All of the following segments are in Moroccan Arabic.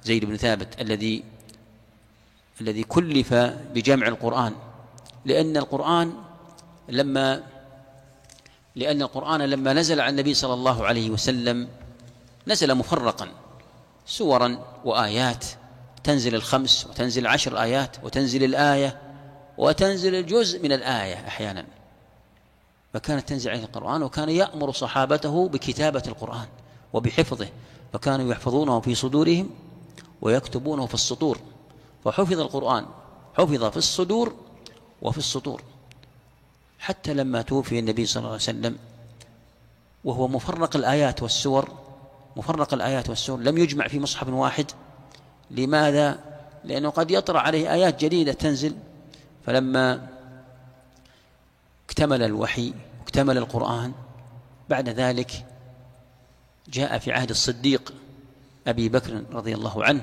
زيد بن ثابت الذي كلف بجمع القرآن، لأن القرآن لما نزل على النبي صلى الله عليه وسلم نزل مفرقا، سورا وآيات، تنزل الخمس وتنزل 10 آيات وتنزل الآية وتنزل الجزء من الآية أحيانا، فكانت تنزل عليه القرآن، وكان يأمر صحابته بكتابة القرآن وبحفظه، فكانوا يحفظونه في صدورهم ويكتبونه في السطور، فحفظ القرآن، حفظ في الصدور وفي السطور، حتى لما توفي النبي صلى الله عليه وسلم وهو مفرق الآيات والسور، مفرق الآيات والسور، لم يجمع في مصحف واحد. لماذا؟ لأنه قد يطرأ عليه آيات جديدة تنزل. فلما اكتمل الوحي واكتمل القرآن بعد ذلك جاء في عهد الصديق أبي بكر رضي الله عنه،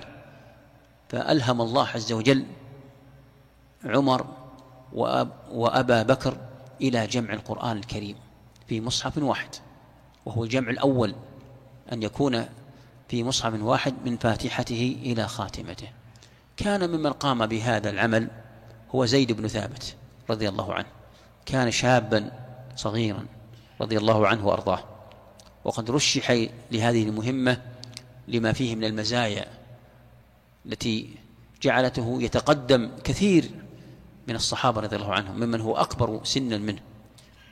فألهم الله عز وجل عمر وأبا بكر إلى جمع القرآن الكريم في مصحف واحد، وهو الجمع الأول أن يكون في مصحف واحد من فاتحته إلى خاتمته. كان ممن قام بهذا العمل هو زيد بن ثابت رضي الله عنه، كان شابا صغيرا رضي الله عنه وأرضاه، وقد رشح لهذه المهمة لما فيه من المزايا التي جعلته يتقدم كثير من الصحابة رضي الله عنهم ممن هو أكبر سنا منه،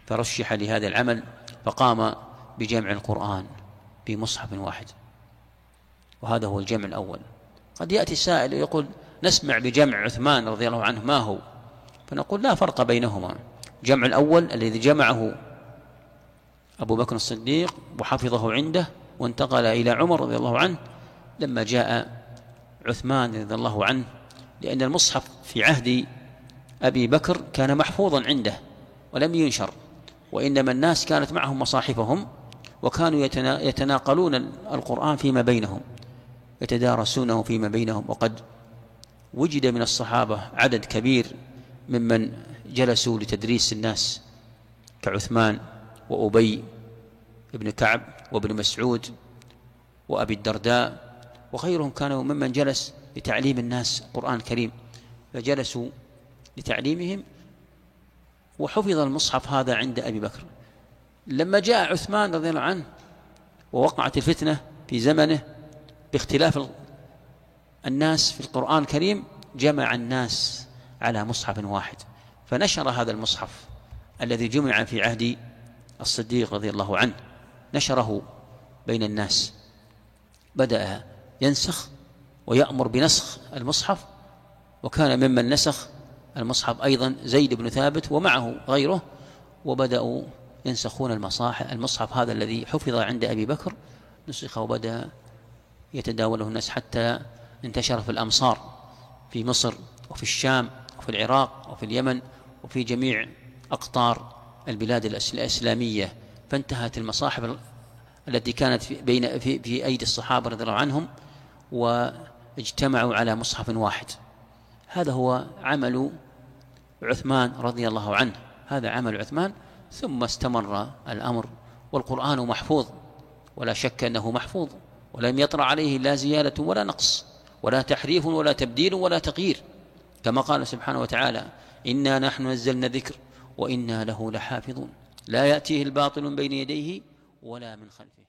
فرشح لهذا العمل فقام بجمع القرآن في مصحف واحد، وهذا هو الجمع الأول. قد يأتي السائل ويقول نسمع بجمع عثمان رضي الله عنه ما هو؟ فنقول لا فرق بينهما. الجمع الأول الذي جمعه أبو بكر الصديق وحفظه عنده وانتقل إلى عمر رضي الله عنه، لما جاء عثمان رضي الله عنه، لأن المصحف في عهد أبي بكر كان محفوظا عنده ولم ينشر، وإنما الناس كانت معهم مصاحفهم وكانوا يتناقلون القرآن فيما بينهم، يتدارسونه فيما بينهم. وقد وجد من الصحابة عدد كبير ممن جلسوا لتدريس الناس كعثمان وأبي بن كعب وابن مسعود وأبي الدرداء وغيرهم، كانوا ممن جلس لتعليم الناس القرآن الكريم، فجلسوا لتعليمهم، وحفظ المصحف هذا عند أبي بكر. لما جاء عثمان رضي الله عنه ووقعت الفتنة في زمنه باختلاف الناس في القرآن الكريم، جمع الناس على مصحف واحد، فنشر هذا المصحف الذي جمع في عهد الصديق رضي الله عنه، نشره بين الناس، بدأ ينسخ ويأمر بنسخ المصحف، وكان ممن نسخ المصحف أيضا زيد بن ثابت ومعه غيره، وبدأوا ينسخون المصحف هذا الذي حفظ عند أبي بكر، نسخ وبدأ يتداوله الناس حتى انتشر في الأمصار، في مصر وفي الشام وفي العراق وفي اليمن وفي جميع أقطار البلاد الإسلامية. فانتهت المصاحف التي كانت في أيدي الصحابة رضي الله عنهم، واجتمعوا على مصحف واحد. هذا هو عمل عثمان رضي الله عنه، هذا عمل عثمان. ثم استمر الأمر، والقرآن محفوظ ولا شك أنه محفوظ، ولم يطرأ عليه لا زيادة ولا نقص ولا تحريف ولا تبديل ولا تغيير، كما قال سبحانه وتعالى: إنا نحن نزلنا الذكر وإنا له لحافظون، لا يأتيه الباطل من بين يديه ولا من خلفه.